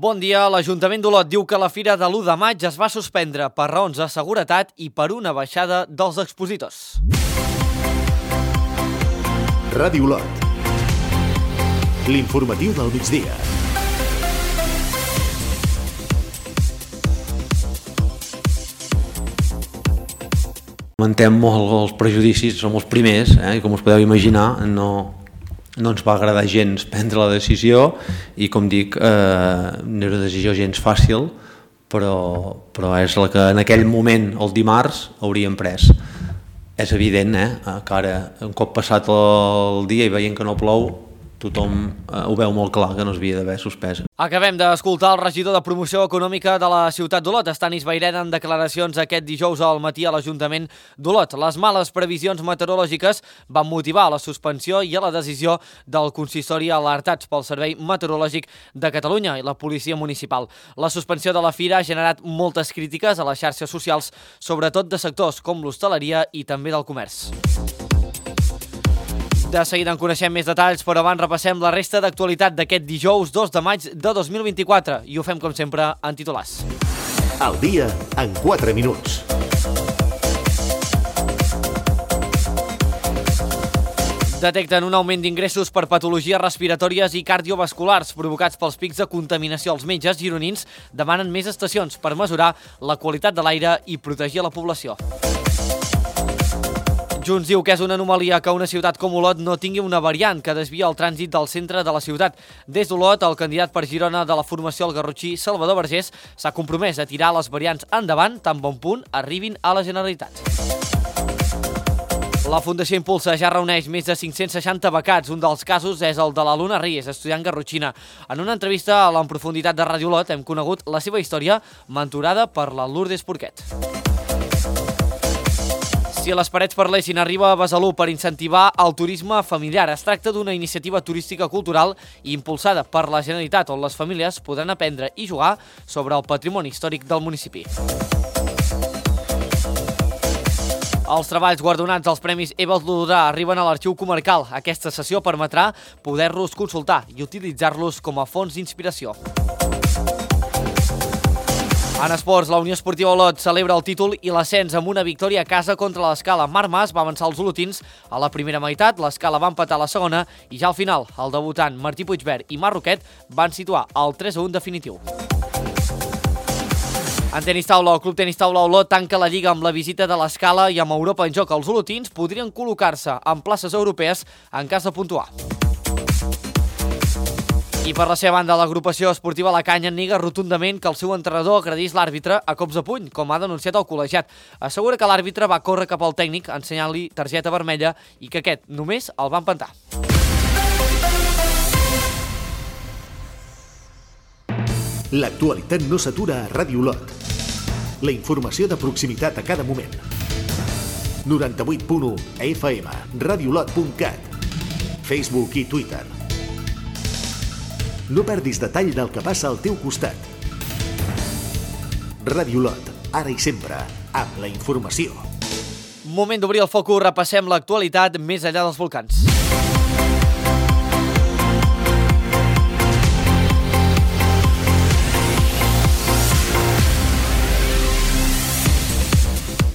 Bon dia. L'Ajuntament d'Olot diu que la fira de l'1 de maig es va suspendre per raons de seguretat i per una baixada dels expositors. Ràdio Olot. L'informatiu del migdia. Lamentem molt els prejudicis, som els primers, i com us podeu imaginar no ens va agradar gens prendre la decisió i, com dic, no era una decisió gens fàcil, però és la que en aquell moment, el dimarts, hauríem pres. És evident que ara, un cop passat el dia i veient que no plou, tothom ho veu molt clar que no s'havia d'haver suspès. Acabem d'escoltar el regidor de Promoció Econòmica de la ciutat d'Olot, Stanis Baireda, en declaracions aquest dijous al matí a l'Ajuntament d'Olot. Les males previsions meteorològiques van motivar la suspensió i a la decisió del consistori alertats pel Servei Meteorològic de Catalunya i la Policia Municipal. La suspensió de la fira ha generat moltes crítiques a les xarxes socials, sobretot de sectors com l'hostaleria i també del comerç. De seguida en coneixem més detalls, però abans repassem la resta d'actualitat d'aquest dijous 2 de maig de 2024 i ho fem com sempre en titulars. Al dia en 4 minuts. Detecten un augment d'ingressos per patologies respiratòries i cardiovasculars provocats pels pics de contaminació. Els metges gironins demanen més estacions per mesurar la qualitat de l'aire i protegir la població. Junts diu que és una anomalia que una ciutat com Olot no tingui una variant que desvia el trànsit del centre de la ciutat. Des d'Olot, el candidat per Girona de la formació al garrotxí, Salvador Vergés, s'ha compromès a tirar les variants endavant tan bon punt arribin a la Generalitat. La Fundació Impulsa ja reuneix més de 560 becats. Un dels casos és el de la Luna Ries, estudiant garrotxina. En una entrevista a l'En Profunditat de Ràdio Olot hem conegut la seva història, mentorada per la Lourdes Porquet. Si les parets parlessin, arriba a Besalú per incentivar el turisme familiar. Es tracta d'una iniciativa turística cultural impulsada per la Generalitat, on les famílies podran aprendre i jugar sobre el patrimoni històric del municipi. Els treballs guardonats dels Premis Evalds Lodrà arriben a l'Arxiu Comarcal. Aquesta sessió permetrà poder-los consultar i utilitzar-los com a fons d'inspiració. En esports, la Unió Esportiva Olot celebra el títol i l'ascens amb una victòria a casa contra l'Escala. Marc Mas va avançar els olotins a la primera meitat, l'Escala va empatar a la segona i ja al final el debutant Martí Puigvert i Marc Roquet van situar el 3-1 definitiu. En tenis taula, el Club Tenis Taula Olot tanca la Lliga amb la visita de l'Escala i amb Europa en joc. Els olotins podrien col·locar-se en places europees en cas de puntuar. I per la seva banda, l'agrupació esportiva La Canya nega rotundament que el seu entrenador agredís l'àrbitre a cops de puny, com ha denunciat el col·legiat. Assegura que l'àrbitre va córrer cap al tècnic ensenyant-li targeta vermella i que aquest només el va empentar. L'actualitat no s'atura a Ràdio Olot. La informació de proximitat a cada moment. 98.1 FM, radioolot.cat, Facebook i Twitter. No perdis detall del que passa al teu costat. Ràdio Olot, ara i sempre, amb la informació. Moment d'obrir el focus, repassem l'actualitat més enllà dels volcans.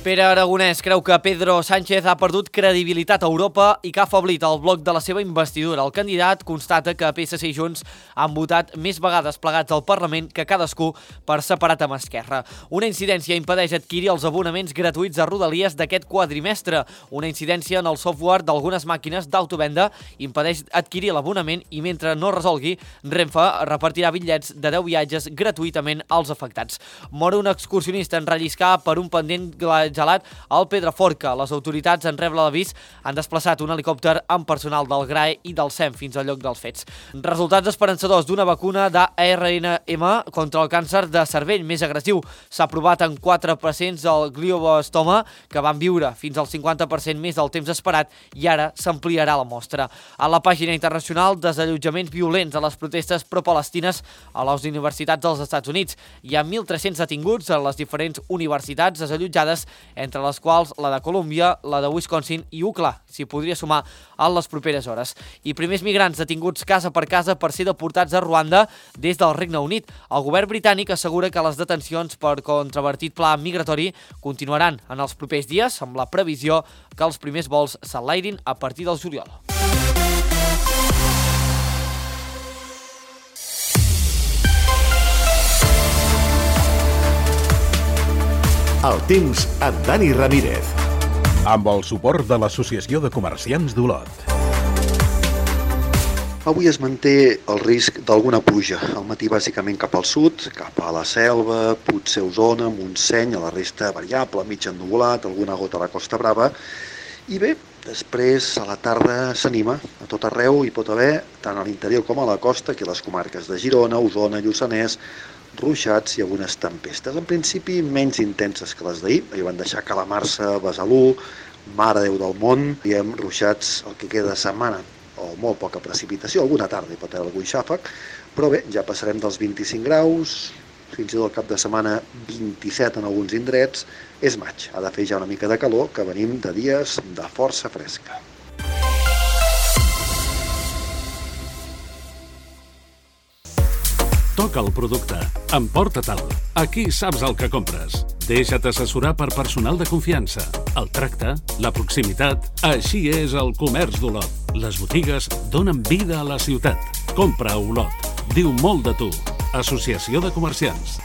Pere Aragonès creu que Pedro Sánchez ha perdut credibilitat a Europa i que ha afeblit el bloc de la seva investidura. El candidat constata que PSC i Junts han votat més vegades plegats al Parlament que cadascú per separat amb Esquerra. Una incidència impedeix adquirir els abonaments gratuïts a Rodalies d'aquest quadrimestre. Una incidència en el software d'algunes màquines d'autovenda impedeix adquirir l'abonament i mentre no resolgui, Renfe repartirà bitllets de 10 viatges gratuïtament als afectats. Mor un excursionista en relliscar per un pendent gelat al Pedraforca. Les autoritats, en rebre l'avís, han desplaçat un helicòpter amb personal del GRAE i del SEM fins al lloc dels fets. Resultats esperançadors d'una vacuna d'ARNM contra el càncer de cervell més agressiu. S'ha provat en 4 pacients del glioblastoma que van viure fins al 50% més del temps esperat i ara s'ampliarà la mostra. A la pàgina internacional, desallotjaments violents a les protestes pro-palestines a les universitats dels Estats Units. Hi ha 1.300 detinguts a les diferents universitats desallotjades entre les quals la de Colúmbia, la de Wisconsin i UCLA, s'hi podria sumar en les properes hores. I primers migrants detinguts casa per ser deportats a Ruanda des del Regne Unit. El govern britànic assegura que les detencions per controvertit pla migratori continuaran en els propers dies, amb la previsió que els primers vols s'enlairin a partir del juliol. El temps amb Dani Ramírez. Amb el suport de l'Associació de Comerciants d'Olot. Avui es manté el risc d'alguna pluja. Al matí bàsicament cap al sud, cap a la Selva, potser Osona, Montseny, a la resta variable, mig ennuvolat, alguna gota a la Costa Brava. I bé, després a la tarda s'anima. A tot arreu hi pot haver, tant a l'interior com a la costa, aquí a les comarques de Girona, Osona, Lluçanès, ruixats i algunes tempestes. En principi menys intenses que les d'ahir. Ahir van deixar calamarsa, Besalú, Mare Déu del Món, i hem ruixats el que queda de setmana, o molt poca precipitació, alguna tarda hi pot haver algun xàfec, però bé, ja passarem dels 25 graus, fins i tot el cap de setmana 27 en alguns indrets. És maig, ha de fer ja una mica de calor, que venim de dies de força fresca. Toca el producte. Emporta-te'l. Aquí saps el que compres. Deixa't assessorar per personal de confiança. El tracte, la proximitat... Així és el comerç d'Olot. Les botigues donen vida a la ciutat. Compra a Olot. Diu molt de tu. Associació de Comerciants.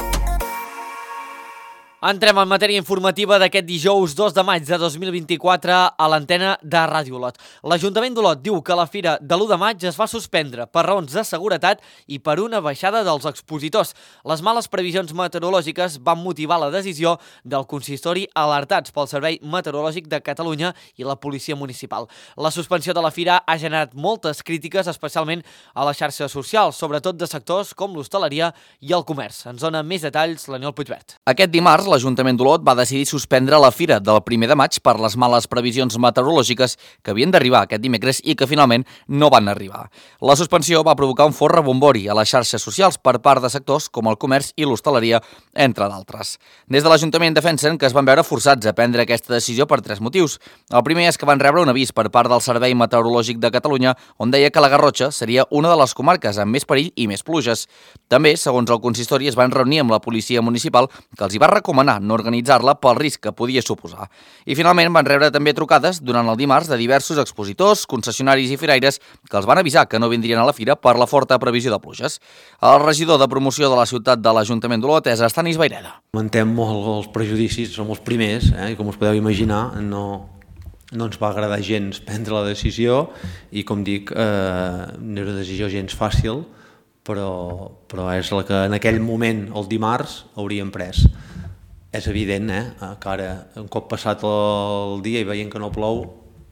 Entrem en matèria informativa d'aquest dijous 2 de maig de 2024 a l'antena de Ràdio Olot. L'Ajuntament d'Olot diu que la fira de l'1 de maig es va suspendre per raons de seguretat i per una baixada dels expositors. Les males previsions meteorològiques van motivar la decisió del consistori alertats pel Servei Meteorològic de Catalunya i la Policia Municipal. La suspensió de la fira ha generat moltes crítiques, especialment a les xarxes socials, sobretot de sectors com l'hostaleria i el comerç. Ens dona més detalls l'Aniol Puigvert. Aquest dimarts, l'Ajuntament d'Olot va decidir suspendre la fira del 1 de maig per les males previsions meteorològiques que havien d'arribar aquest dimecres i que finalment no van arribar. La suspensió va provocar un fort rebombori a les xarxes socials per part de sectors com el comerç i l'hostaleria, entre d'altres. Des de l'Ajuntament defensen que es van veure forçats a prendre aquesta decisió per 3 motius. El primer és que van rebre un avís per part del Servei Meteorològic de Catalunya on deia que la Garrotxa seria una de les comarques amb més perill i més pluges. També, segons el consistori, es van reunir amb la Policia Municipal que els hi va recomanar no organitzar-la pel risc que podia suposar. I finalment van rebre també trucades durant el dimarts de diversos expositors, concessionaris i firaires que els van avisar que no vindrien a la fira per la forta previsió de pluges. El regidor de promoció de la ciutat de l'Ajuntament d'Olot és Estanis Vaireda. Lamentem molt els prejudicis, som els primers, i com us podeu imaginar no ens va agradar gens prendre la decisió i com dic, no era una decisió gens fàcil, però és la que en aquell moment, el dimarts, hauríem pres. És evident que ara, un cop passat el dia i veient que no plou,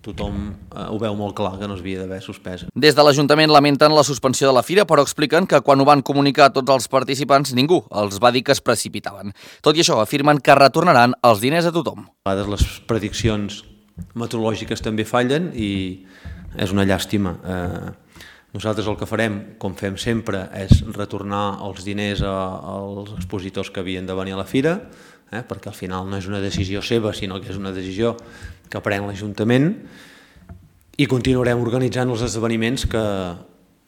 tothom ho veu molt clar que no es havia d'haver suspès. Des de l'Ajuntament lamenten la suspensió de la fira, però expliquen que quan ho van comunicar a tots els participants, ningú els va dir que es precipitaven. Tot i això, afirmen que retornaran els diners a tothom. A vegades les prediccions meteorològiques també fallen i és una llàstima. Nosaltres el que farem, com fem sempre, és retornar els diners als expositors que havien de venir a la fira, perquè al final no és una decisió seva, sinó que és una decisió que pren l'Ajuntament, i continuarem organitzant els esdeveniments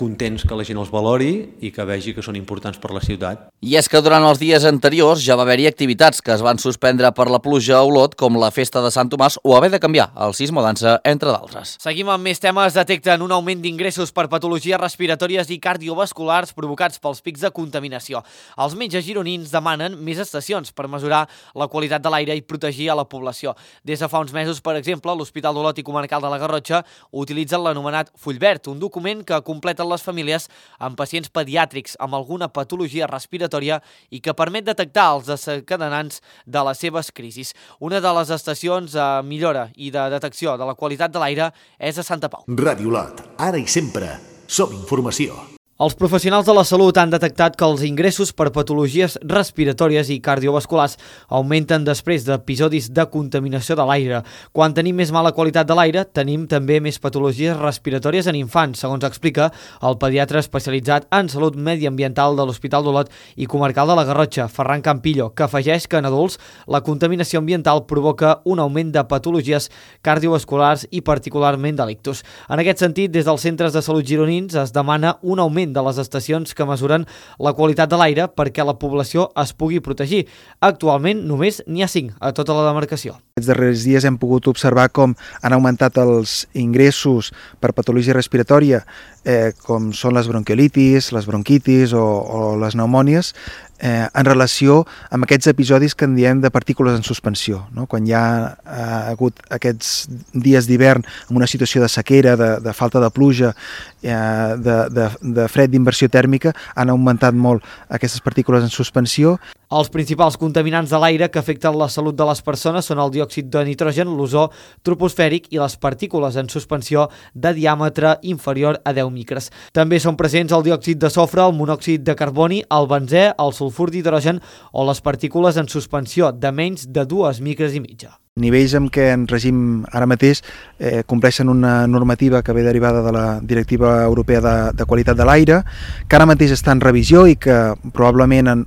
contents que la gent els valori i que vegi que són importants per la ciutat. I és que durant els dies anteriors ja va haver-hi activitats que es van suspendre per la pluja a Olot, com la festa de Sant Tomàs o haver de canviar el sismodansa, entre d'altres. Seguim amb més temes. Detecten un augment d'ingressos per patologies respiratòries i cardiovasculars provocats pels pics de contaminació. Els metges gironins demanen més estacions per mesurar la qualitat de l'aire i protegir a la població. Des de fa uns mesos, per exemple, l'Hospital d'Olot i Comarcal de la Garrotxa utilitzen l'anomenat Full Verd, un document que completa les famílies amb pacients pediàtrics amb alguna patologia respiratòria i que permet detectar els desencadenants de les seves crisis. Una de les estacions de millora i de detecció de la qualitat de l'aire és a Santa Pau. Ràdio Olot, ara i sempre, som informació. Els professionals de la salut han detectat que els ingressos per patologies respiratòries i cardiovasculars augmenten després d'episodis de contaminació de l'aire. Quan tenim més mala qualitat de l'aire, tenim també més patologies respiratòries en infants, segons explica el pediatre especialitzat en salut mediambiental de l'Hospital d'Olot i Comarcal de la Garrotxa, Ferran Campillo, que afegeix que en adults la contaminació ambiental provoca un augment de patologies cardiovasculars i particularment de l'ictus. En aquest sentit, des dels centres de salut gironins es demana un augment de les estacions que mesuren la qualitat de l'aire perquè la població es pugui protegir. Actualment només n'hi ha 5 a tota la demarcació. Aquests darrers dies hem pogut observar com han augmentat els ingressos per patologia respiratòria, com són les bronquiolitis, les bronquitis o les pneumònies, en relació amb aquests episodis que en diem de partícules en suspensió, no? Quan hi ha hagut aquests dies d'hivern amb una situació de sequera, de falta de pluja, de fred, d'inversió tèrmica, han augmentat molt aquestes partícules en suspensió. Els principals contaminants de l'aire que afecten la salut de les persones són el diòxid de nitrogen, l'ozó troposfèric i les partícules en suspensió de diàmetre inferior a 10 micres. També són presents el diòxid de sofre, el monòxid de carboni, el benzè, el sulfur d'hidrogen o les partícules en suspensió de menys de 2 micres i mitja. Nivells amb què en regim ara mateix compleixen una normativa que ve derivada de la Directiva Europea de Qualitat de l'Aire, que ara mateix està en revisió i que probablement en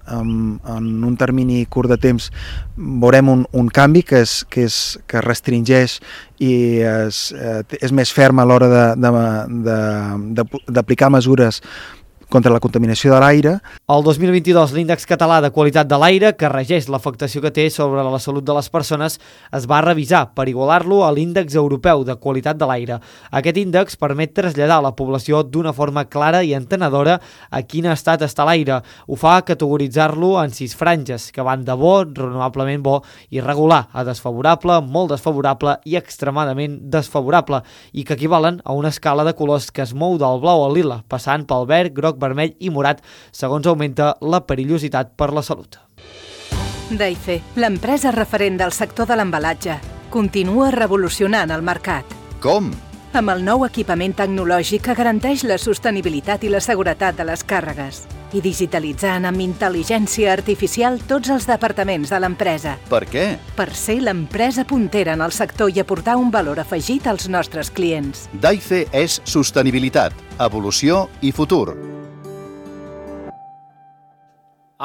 un termini curt de temps veurem un canvi que restringeix i és més ferm a l'hora d'aplicar mesures contra la contaminació de l'aire. El 2022, l'índex català de qualitat de l'aire, que regeix l'afectació que té sobre la salut de les persones, es va revisar per igualar-lo a l'índex europeu de qualitat de l'aire. Aquest índex permet traslladar a la població d'una forma clara i entenedora a quin estat està l'aire. Ho fa categoritzar-lo en 6 franges, que van de bo, raonablement bo, irregular, a desfavorable, molt desfavorable i extremadament desfavorable, i que equivalen a una escala de colors que es mou del blau al lila, passant pel verd, groc, vermell i morat, segons augmenta la perillositat per la salut. Daife, l'empresa referent del sector de l'embalatge, continua revolucionant el mercat. Com? Amb el nou equipament tecnològic que garanteix la sostenibilitat i la seguretat de les càrregues i digitalitzant amb intel·ligència artificial tots els departaments de l'empresa. Per què? Per ser l'empresa puntera en el sector i aportar un valor afegit als nostres clients. Daife és sostenibilitat, evolució i futur.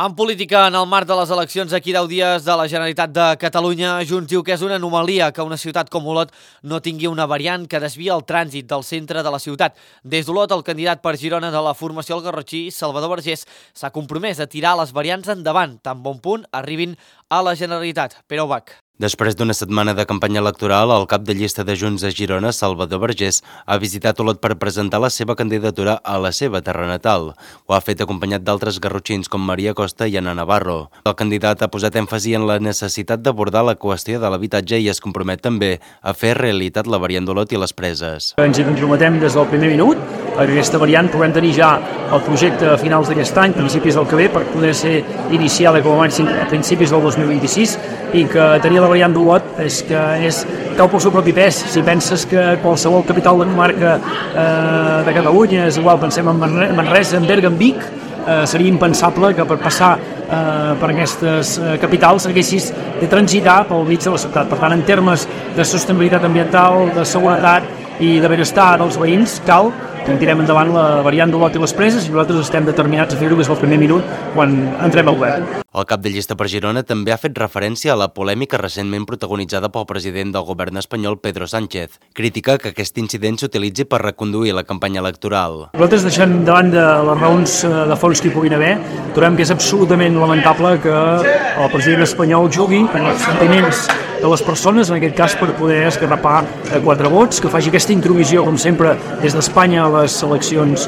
En política, en el marc de les eleccions d'aquí 10 dies de la Generalitat de Catalunya, Junts diu que és una anomalia que una ciutat com Olot no tingui una variant que desvia el trànsit del centre de la ciutat. Des d'Olot, el candidat per Girona de la formació al garrotxí, Salvador Vergés, s'ha compromès a tirar les variants endavant, tan bon punt arribin a la Generalitat. Pere Ubach. Després d'una setmana de campanya electoral, el cap de llista de Junts a Girona, Salvador Vergés, ha visitat Olot per presentar la seva candidatura a la seva terra natal. Ho ha fet acompanyat d'altres garrotxins com Maria Costa i Ana Navarro. El candidat ha posat èmfasi en la necessitat d'abordar la qüestió de l'habitatge i es compromet també a fer realitat la variant d'Olot i les Preses. Ens hi comprometem des del primer minut, perquè aquesta variant puguem tenir ja el projecte a finals d'aquest any, principis del que ve, per poder ser iniciada com a màxim a principis del 2026, i que tenir la variant d'Olot és que cau pel seu propi pes. Si penses que qualsevol capital de comarca de Catalunya és igual, pensem en Manresa, en Berga, en Vic, seria impensable que per passar per aquestes capitals haguessis de transitar pel mig de la ciutat. Per tant, en termes de sostenibilitat ambiental, de seguretat i de benestar dels veïns, cal que tirem endavant la variant d'Olot i les Preses i nosaltres estem determinats a fer-ho des del primer minut quan entrem al govern. El cap de llista per Girona també ha fet referència a la polèmica recentment protagonitzada pel president del govern espanyol, Pedro Sánchez. Critica que aquest incident s'utilitzi per reconduir la campanya electoral. Nosaltres, deixant davant de les raons de fons que hi puguin haver, trobem que és absolutament lamentable que el president espanyol jugui amb els sentiments de les persones, en aquest cas per poder esgarrapar 4 vots, que faci aquesta intromissió, com sempre, des d'Espanya a les eleccions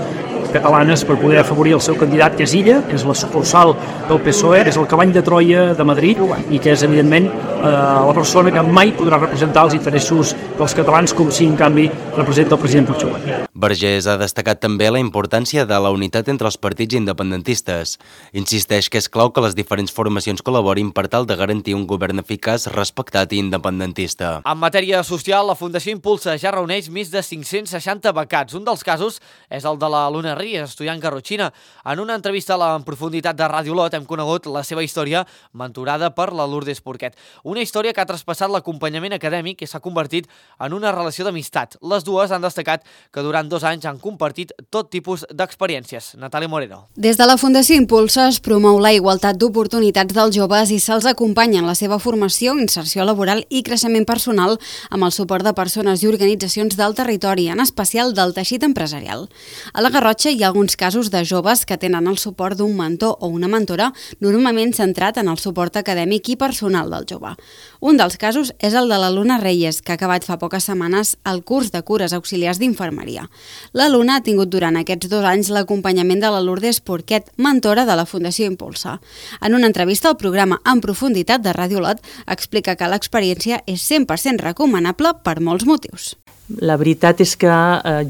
catalanes per poder afavorir el seu candidat, que és Illa, que és la sucursal del PSOE, és el cavall de Troia de Madrid i que és, evidentment, la persona que mai podrà representar els interessos dels catalans com si, en canvi, representa el president Puigdemont. Vergés ha destacat també la importància de la unitat entre els partits independentistes. Insisteix que és clau que les diferents formacions col·laborin per tal de garantir un govern eficaç, respectat i independentista. En matèria social, la Fundació Impulsa ja reuneix més de 560 becats. Un dels casos és el de la Luna Ries, estudiant garrotxina. En una entrevista en profunditat de Ràdio Lot hem conegut la seva història mentorada per la Lourdes Porquet. Una història que ha traspassat l'acompanyament acadèmic i s'ha convertit en una relació d'amistat. Les dues han destacat que durant 2 anys han compartit tot tipus d'experiències. Natàlia Moreno. Des de la Fundació Impulsa es promou la igualtat d'oportunitats dels joves i se'ls acompanya en la seva formació, inserció laboral i creixement personal amb el suport de persones i organitzacions del territori, en especial del teixit empresarial. A la Garrotxa hi ha alguns casos de joves que tenen el suport d'un mentor o una mentora, normalment centrat en el suport acadèmic i personal del jove. Un dels casos és el de la Luna Reyes, que ha acabat fa poques setmanes el curs de cures auxiliars d'infermeria. La Luna ha tingut durant aquests 2 anys l'acompanyament de la Lourdes Porquet, mentora de la Fundació Impulsa. En una entrevista al programa En profunditat de Ràdio Lot, explica que l'experiència és 100% recomanable per molts motius. La veritat és que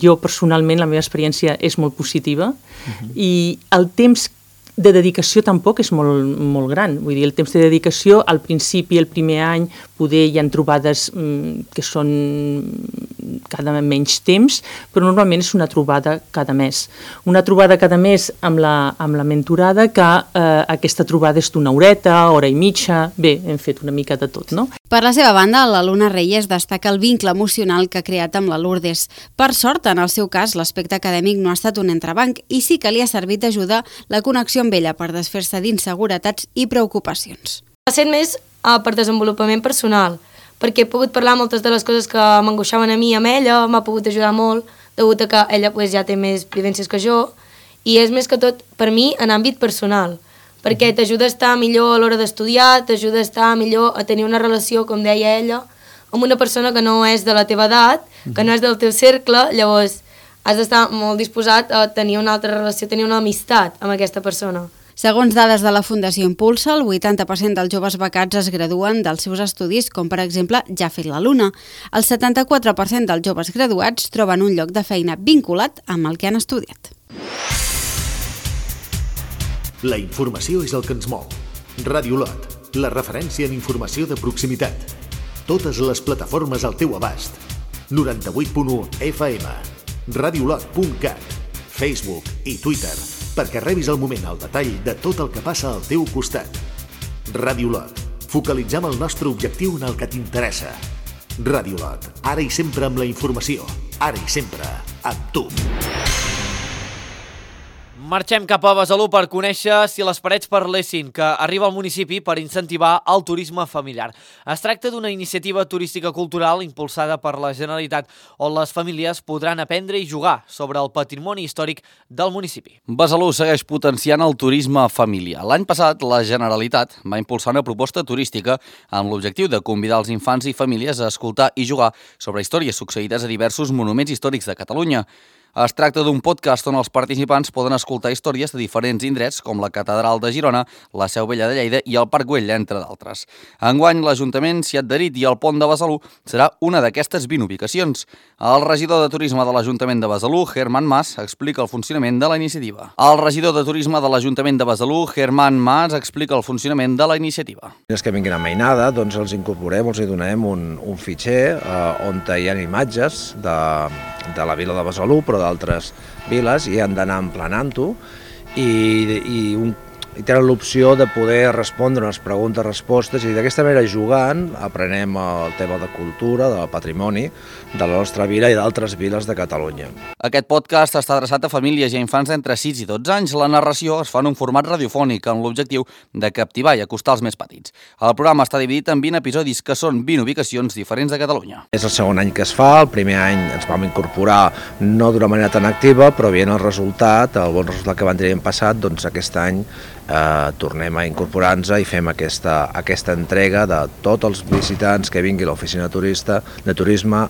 jo personalment la meva experiència és molt positiva i el temps de dedicació tampoc és molt gran. Vull dir, el temps de dedicació al principi, el primer any, poder hi ha trobades que són cada menys temps, però normalment és una trobada cada mes. Una trobada cada mes amb la mentorada, que aquesta trobada és d'una horeta, hora i mitja. Bé, hem fet una mica de tot, no? Per la seva banda, la Luna Reyes destaca el vincle emocional que ha creat amb la Lourdes. Per sort, en el seu cas, l'aspecte acadèmic no ha estat un entrebanc i sí que li ha servit d'ajuda la connexió amb ella per desfer-se d'inseguretats i preocupacions. Ha estat més per desenvolupament personal, perquè he pogut parlar moltes de les coses que m'angoixaven a mi amb ella, m'ha pogut ajudar molt, degut a que ella ja té més vivències que jo, i és més que tot per mi en àmbit personal, perquè t'ajuda a estar millor a l'hora d'estudiar, t'ajuda a estar millor a tenir una relació, com deia ella, amb una persona que no és de la teva edat, que no és del teu cercle, llavors has d'estar molt disposat a tenir una altra relació, tenir una amistat amb aquesta persona. Segons dades de la Fundació Impulsa, el 80% dels joves becats es graduen dels seus estudis, com per exemple ja ha fet la Luna. El 74% dels joves graduats troben un lloc de feina vinculat amb el que han estudiat. La informació és el que ens mou. Ràdio Lot, la referència en informació de proximitat. Totes les plataformes al teu abast. 98.1 FM, radiolot.cat, Facebook i Twitter, perquè rebis al moment el detall de tot el que passa al teu costat. Ràdio Lot, focalitzem el nostre objectiu en el que t'interessa. Ràdio Lot, ara i sempre amb la informació, ara i sempre amb tu. Marxem cap a Besalú per conèixer Si les parets parlessin, que arriba al municipi per incentivar el turisme familiar. Es tracta d'una iniciativa turística cultural impulsada per la Generalitat, on les famílies podran aprendre i jugar sobre el patrimoni històric del municipi. Besalú segueix potenciant el turisme familiar. L'any passat, la Generalitat va impulsar una proposta turística amb l'objectiu de convidar els infants i famílies a escoltar i jugar sobre històries succeïdes a diversos monuments històrics de Catalunya. Es tracta d'un podcast on els participants poden escoltar històries de diferents indrets com la Catedral de Girona, la Seu Vella de Lleida i el Parc Güell, entre d'altres. Enguany, l'Ajuntament s'hi ha adherit i el Pont de Besalú serà una d'aquestes 20 ubicacions. El regidor de Turisme de l'Ajuntament de Besalú, Germán Mas, explica el funcionament de la iniciativa. El regidor de Turisme de l'Ajuntament de Besalú, Germán Mas, explica el funcionament de la iniciativa. Els que vinguin a Mainada, doncs els incorporem, els hi donem un fitxer on hi ha imatges de la vila de Besalú, però d'altres viles, i han d'anar emplenant-ho i tenen l'opció de poder respondre unes preguntes-respostes, i d'aquesta manera, jugant, aprenem el tema de cultura, del patrimoni de la nostra vila i d'altres viles de Catalunya. Aquest podcast està adreçat a famílies i a infants d'entre 6 i 12 anys. La narració es fa en un format radiofònic amb l'objectiu de captivar i acostar els més petits. El programa està dividit en 20 episodis, que són 20 ubicacions diferents de Catalunya. És el segon any que es fa. El primer any ens vam incorporar no d'una manera tan activa, però veient el resultat, el bon resultat que van tenir l'any passat, doncs aquest any tornem a incorporar-nos i fem aquesta entrega de tots els visitants que vinguin a l'oficina de turisme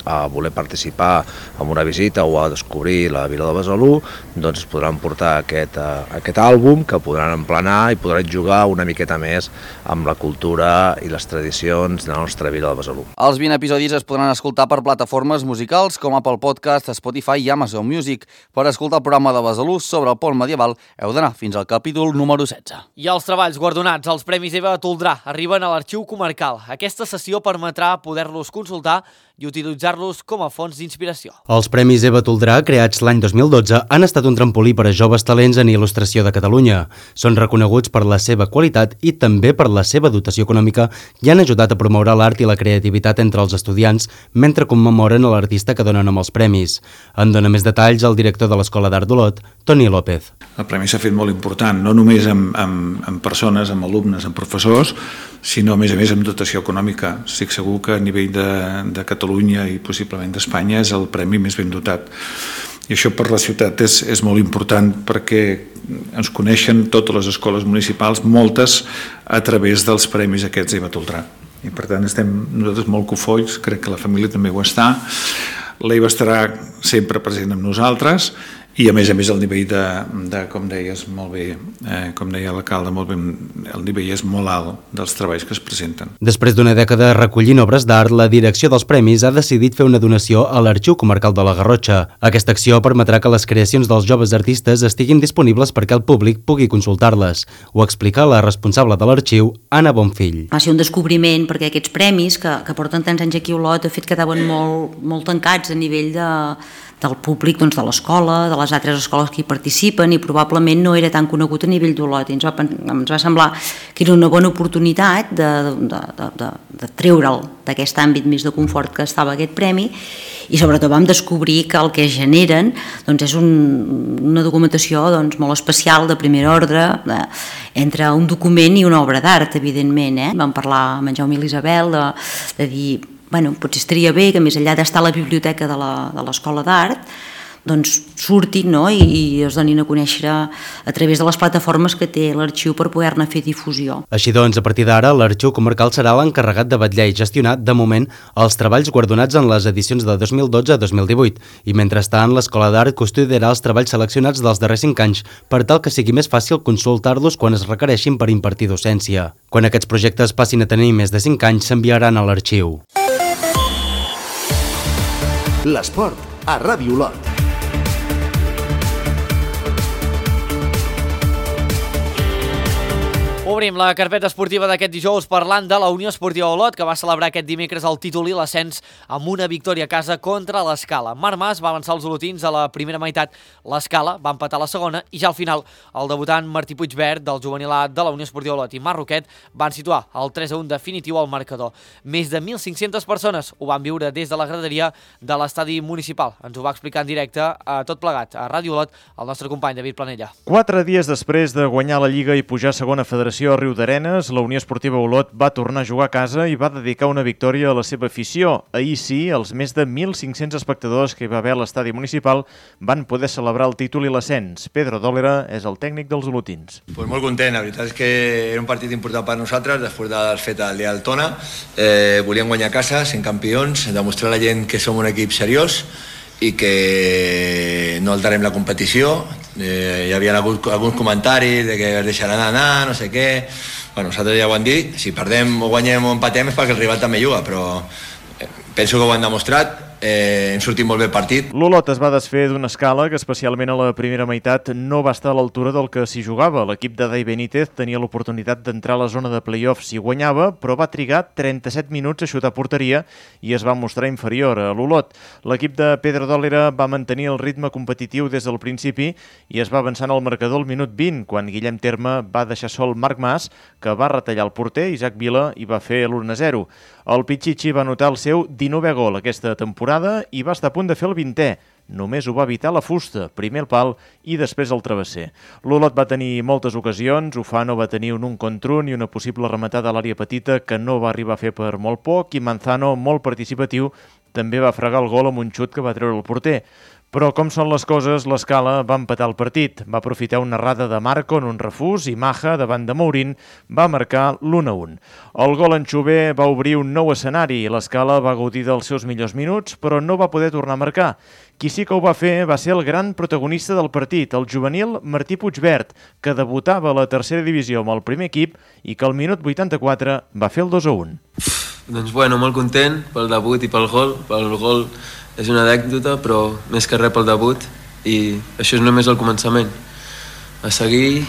a voler participar en una visita o a descobrir la vila de Besalú, doncs es podran portar aquest àlbum que podran emplenar i podran jugar una miqueta més amb la cultura i les tradicions de la nostra vila de Besalú. Els 20 episodis es podran escoltar per plataformes musicals com Apple Podcast, Spotify i Amazon Music. Per escoltar el programa de Besalú sobre el pont medieval heu d'anar fins al capítol número 16. I els treballs guardonats als Premis Eva Toldrà arriben a l'Arxiu Comarcal. Aquesta sessió permetrà poder-los consultar i utilitzar-los com a fonts d'inspiració. Els Premis Eva Toldrà, creats l'any 2012, han estat un trampolí per a joves talents en il·lustració de Catalunya. Són reconeguts per la seva qualitat i també per la seva dotació econòmica i han ajudat a promoure l'art i la creativitat entre els estudiants mentre commemoren a l'artista que donen amb els premis. En dona més detalls el director de l'Escola d'Art d'Olot, Toni López. El premi s'ha fet molt important, no només amb persones, amb alumnes, amb professors, sinó a més amb dotació econòmica. Estic segur que a nivell de Catalunya i possiblement d'Espanya és el premi més ben dotat. I això per la ciutat és molt important perquè ens coneixen totes les escoles municipals, moltes a través dels premis aquests Eva Toldrà. I per tant estem nosaltres molt cofois, crec que la família també ho està. L'Eva estarà sempre present amb nosaltres i a més el nivell de com deies molt bé, com deia l'alcalde molt bé, el nivell és molt alt dels treballs que es presenten. Després d'una dècada recollint obres d'art, la direcció dels premis ha decidit fer una donació a l'Arxiu Comarcal de la Garrotxa. Aquesta acció permetrà que les creacions dels joves artistes estiguin disponibles perquè el públic pugui consultar-les. Ho explica la responsable de l'arxiu, Anna Bonfill. Va ser un descobriment perquè aquests premis que porten tants anys aquí a Olot de fet quedaven molt tancats a nivell del públic, doncs, de l'escola, de les altres escoles que hi participen, i probablement no era tan conegut a nivell d'Olot. Ens va semblar que era una bona oportunitat de treure'l d'aquest àmbit més de confort que estava aquest premi, i sobretot vam descobrir que el que generen doncs, és una documentació doncs, molt especial, de primer ordre, entre un document i una obra d'art, evidentment. Vam parlar amb en Jaume i l'Isabel de dir potser estaria bé que més enllà d'estar a la biblioteca de l'Escola d'Art doncs surtin i es donin a conèixer a través de les plataformes que té l'arxiu per poder-ne fer difusió. Així doncs, a partir d'ara, l'Arxiu Comarcal serà l'encarregat de vetllar i gestionar, de moment, els treballs guardonats en les edicions de 2012 a 2018 i, mentrestant, l'Escola d'Art custodiarà els treballs seleccionats dels darrers 5 anys per tal que sigui més fàcil consultar-los quan es requereixin per impartir docència. Quan aquests projectes passin a tenir més de 5 anys, s'enviaran a l'arxiu. L'esport a Ràdio Olot. Obrim la carpeta esportiva d'aquest dijous parlant de la Unió Esportiva Olot, que va celebrar aquest dimecres el títol i l'ascens amb una victòria a casa contra l'Escala. Marc Mas va avançar els olotins a la primera meitat, l'Escala va empatar la segona i ja al final el debutant Martí Puigverd del juvenil A de la Unió Esportiva Olot i Marc Roquet van situar el 3-1 definitiu al marcador. Més de 1.500 persones ho van viure des de la graderia de l'estadi municipal. Ens ho va explicar en directe a tot plegat a Ràdio Olot el nostre company David Planella. 4 dies després de guanyar la Lliga i pujar a segona federació a Riudarenes, la Unió Esportiva Olot va tornar a jugar a casa i va dedicar una victòria a la seva afició. Ahir sí, els més de 1.500 espectadors que hi va haver a l'estadi municipal van poder celebrar el títol i l'ascens. Pedro Dòlera és el tècnic dels olotins. Pues molt content, la veritat és que era un partit important per nosaltres, després d'haver fet el dia del Tona. Volíem guanyar a casa, sent campions, demostrar a la gent que som un equip seriós i que no alterem la competició. Hi havia alguns comentaris de que es deixaran anar, no sé què. Nosaltres ja ho hem dit, si perdem o guanyem o empatem és perquè el rival també juga, però penso que ho han demostrat. Hem sortit molt bé el partit. L'Olot es va desfer d'una Escala que especialment a la primera meitat no va estar a l'altura del que s'hi jugava. L'equip de Dai Benítez tenia l'oportunitat d'entrar a la zona de play-offs i guanyava, però va trigar 37 minuts a xutar porteria i es va mostrar inferior a l'Olot. L'equip de Pedro Dòlera va mantenir el ritme competitiu des del principi i es va avançant al marcador al minut 20, quan Guillem Terme va deixar sol Marc Mas, que va retallar el porter, Isaac Vila, i va fer l'1-0. El Pichichi va anotar el seu 19è gol aquesta temporada i va estar a punt de fer el 20è. Només ho va evitar la fusta, primer el pal i després el travesser. L'Olot va tenir moltes ocasions, Ufano va tenir un contra un i una possible rematada a l'àrea petita que no va arribar a fer per molt poc i Manzano, molt participatiu, també va fregar el gol amb un xut que va treure el porter. Però com són les coses, l'Escala va empatar el partit. Va aprofitar una errada de Marco en un refús i Maja, davant de Mourín, va marcar l'1-1. El gol en Xuber va obrir un nou escenari i l'Escala va gaudir dels seus millors minuts, però no va poder tornar a marcar. Qui sí que ho va fer va ser el gran protagonista del partit, el juvenil Martí Puigvert, que debutava a la tercera divisió amb el primer equip i que al minut 84 va fer el 2-1. Doncs bueno, molt content pel debut i pel gol. Pel gol és una anècdota, però més que res pel debut, i això és només el començament. A seguir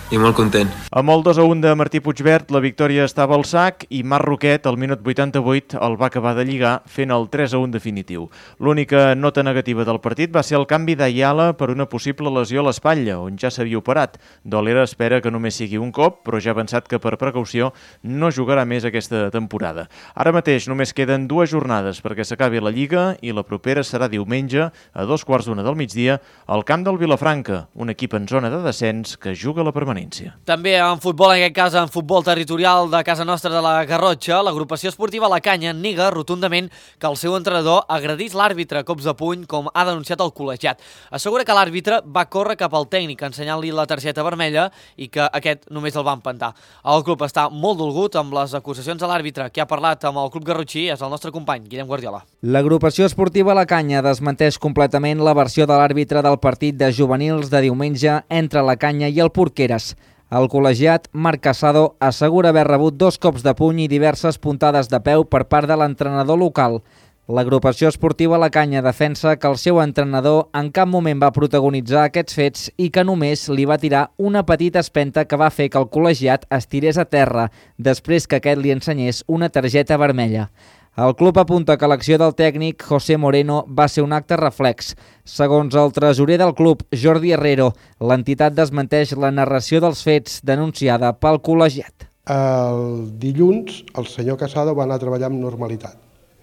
i molt content. Amb el 2-1 de Martí Puigvert, la victòria estava al sac i Marc Roquet, al minut 88, el va acabar de lligar fent el 3-1 definitiu. L'única nota negativa del partit va ser el canvi d'Ayala per una possible lesió a l'espatlla, on ja s'havia operat. Dolera espera que només sigui un cop, però ja ha pensat que per precaució no jugarà més aquesta temporada. Ara mateix només queden 2 jornades perquè s'acabi la Lliga i la propera serà diumenge a 2:15 del migdia al camp del Vilafranca, un equip en zona de descens que juga a la permanència. També en futbol, en aquest cas en futbol territorial de casa nostra de la Garrotxa, l'agrupació esportiva La Canya nega rotundament que el seu entrenador agredís l'àrbitre a cops de puny, com ha denunciat el col·legiat. Assegura que l'àrbitre va córrer cap al tècnic ensenyant-li la targeta vermella i que aquest només el va empentar. El club està molt dolgut amb les acusacions de l'àrbitre. Qui ha parlat amb el club garrotxí és el nostre company, Guillem Guardiola. L'agrupació esportiva La Canya desmenteix completament la versió de l'àrbitre del partit de juvenils de diumenge entre La Canya i el Porqueres. El col·legiat Marc Casado assegura haver rebut 2 cops de puny i diverses puntades de peu per part de l'entrenador local. L'agrupació esportiva La Canya defensa que el seu entrenador en cap moment va protagonitzar aquests fets i que només li va tirar una petita espenta que va fer que el col·legiat es tirés a terra després que aquest li ensenyés una targeta vermella. El club apunta que l'acció del tècnic José Moreno va ser un acte reflex. Segons el tresorer del club, Jordi Herrero, l'entitat desmenteix la narració dels fets denunciada pel col·legiat. El dilluns el senyor Casado va anar a treballar amb normalitat.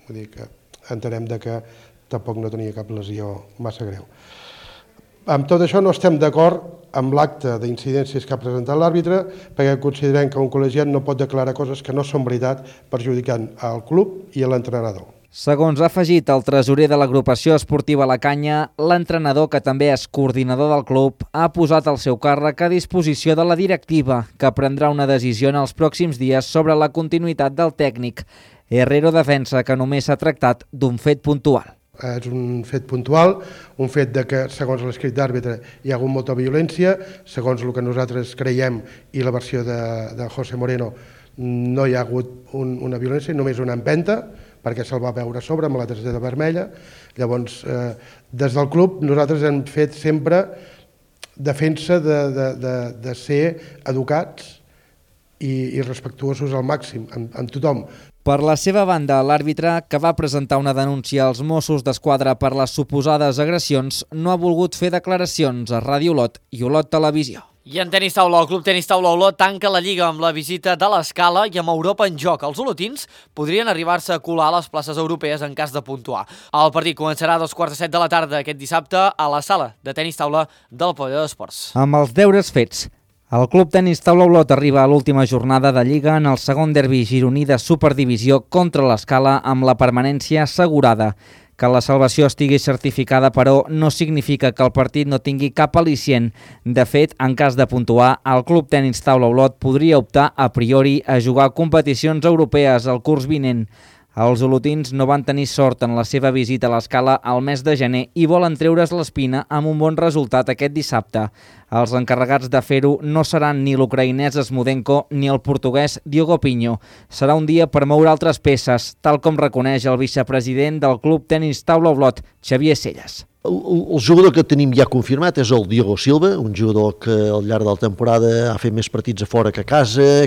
Vull dir que entenem que tampoc no tenia cap lesió massa greu. Amb tot això no estem d'acord amb l'acte d'incidències que ha presentat l'àrbitre, perquè considerem que un col·legiat no pot declarar coses que no són veritat, perjudicant al club i a l'entrenador. Segons ha afegit el tresorer de l'agrupació esportiva La Canya, l'entrenador, que també és coordinador del club, ha posat el seu càrrec a disposició de la directiva, que prendrà una decisió en els pròxims dies sobre la continuïtat del tècnic. Herrero defensa que només s'ha tractat d'un fet puntual. És un fet puntual, un fet de que, segons l'escrit d'àrbitre, hi ha hagut molta violència, segons el que nosaltres creiem i la versió de José Moreno, no hi ha hagut una violència, només una empenta, perquè se'l va veure a sobre amb la targeta vermella. Llavors, des del club, nosaltres hem fet sempre defensa de ser educats i respectuosos al màxim, amb tothom. Per la seva banda, l'àrbitre, que va presentar una denúncia als Mossos d'Esquadra per les suposades agressions, no ha volgut fer declaracions a Ràdio Olot i Olot Televisió. I en tenis taula, el Club Tenis Taula Olot tanca la Lliga amb la visita de l'Escala i amb Europa en joc. Els olotins podrien arribar-se a colar a les places europees en cas de puntuar. El partit començarà a 2:45 de la tarda aquest dissabte a la sala de tenis taula del Pavelló d'Esports. Amb els deures fets, el Club Tenis Taula Olot arriba a l'última jornada de Lliga en el segon derbi gironí de Superdivisió contra l'Escala amb la permanència assegurada. Que la salvació estigui certificada, però, no significa que el partit no tingui cap al·licient. De fet, en cas de puntuar, el Club Tenis Taula Olot podria optar a priori a jugar competicions europees el curs vinent. Els olotins no van tenir sort en la seva visita a l'Escala al mes de gener i volen treure's l'espina amb un bon resultat aquest dissabte. Els encarregats de fer-ho no seran ni l'ucraïnès Smudenko ni el portuguès Diogo Pinho. Serà un dia per moure altres peces, tal com reconeix el vicepresident del Club Tenis Taula Olot, Xavier Selles. El jugador que tenim ja confirmat és el Diogo Silva, un jugador que al llarg de la temporada ha fet més partits a fora que a casa,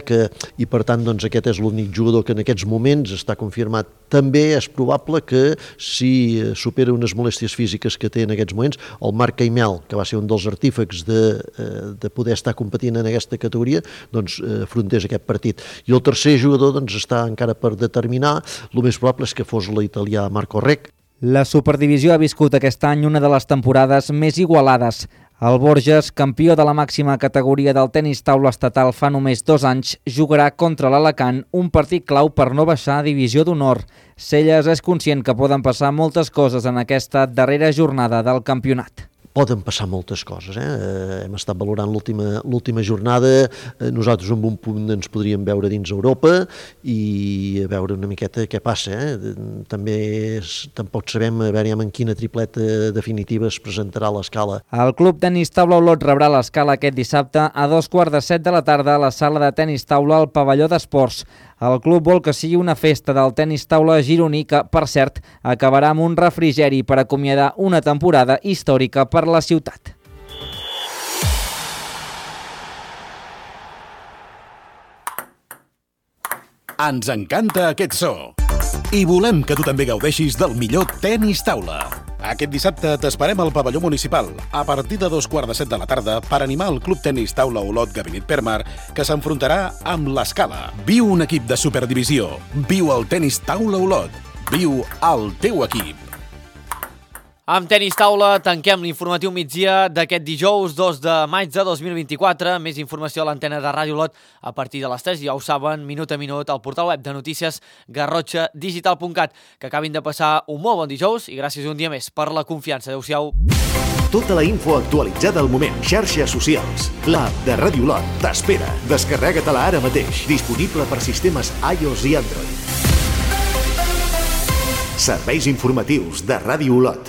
i per tant doncs, aquest és l'únic jugador que en aquests moments està confirmat. També és probable que si supera unes molèsties físiques que té en aquests moments, el Marc Caimel, que va ser un dels artífecs de poder estar competint en aquesta categoria, doncs afrontés aquest partit. I el tercer jugador doncs, està encara per determinar, el més probable és que fos l'italià Marco Rec. La Superdivisió ha viscut aquest any una de les temporades més igualades. El Borges, campió de la màxima categoria del tenis taula estatal fa només 2 anys, jugarà contra l'Alacant, un partit clau per no baixar a divisió d'honor. Celles és conscient que poden passar moltes coses en aquesta darrera jornada del campionat. Poden passar moltes coses. Hem estat valorant l'última jornada. Nosaltres en un punt ens podríem veure dins Europa i a veure una miqueta què passa. Tampoc sabem en quina tripleta definitiva es presentarà l'Escala. El Club Tenis Taula Olot rebrà l'Escala aquest dissabte a 2:15 de la tarda a la sala de tenis taula al pavelló d'esports. El club vol que sigui una festa del tenis taula gironí que, per cert, acabarà amb un refrigeri per acomiadar una temporada històrica per la ciutat. Ens encanta aquest so i volem que tu també gaudeixis del millor tenis taula. Aquest dissabte t'esperem al pavelló municipal a partir de 2:15 de la tarda per animar el Club Tenis Taula Olot Gabinet Permar, que s'enfrontarà amb l'Escala. Viu un equip de superdivisió. Viu el Tenis Taula Olot. Viu el teu equip. Amb tenis taula tanquem l'informatiu migdia d'aquest dijous 2 de maig de 2024. Més informació a l'antena de Ràdio Olot a partir de les 3, ja ho saben, minut a minut, al portal web de notícies garrotxadigital.cat. Que acabin de passar un molt bon dijous i gràcies un dia més per la confiança. Adéu-siau. Tota la info actualitzada al moment. Xarxes socials. L'app de Ràdio Olot t'espera. Descarrega-te-la ara mateix. Disponible per sistemes iOS i Android. Serveis informatius de Ràdio Olot.